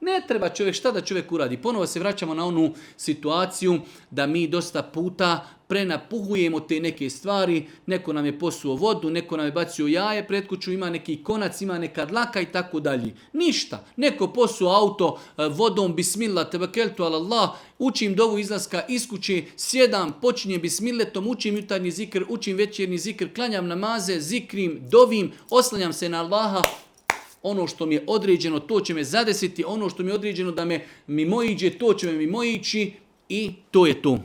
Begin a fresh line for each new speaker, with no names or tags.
Ne treba čovjek, šta da čovjek uradi? Ponovo se vraćamo na onu situaciju da mi dosta puta prenapuhujemo te neke stvari, neko nam je posuo vodu, neko nam je bacio jaje pred kuću, ima neki konac, ima neka dlaka i tako dalje. Ništa. Neko posuo auto vodom, bismillah, tevakeltu ala Allah, učim dovu izlaska iz kuće, sjedam, počinjem bismilletom, učim jutarnji zikr, učim večernji zikr, klanjam namaze, zikrim, dovim, oslanjam se na Allaha. Ono što mi je određeno, to će me zadesiti, ono što mi je određeno da me mimoiđe, to će me mimoići i to je to.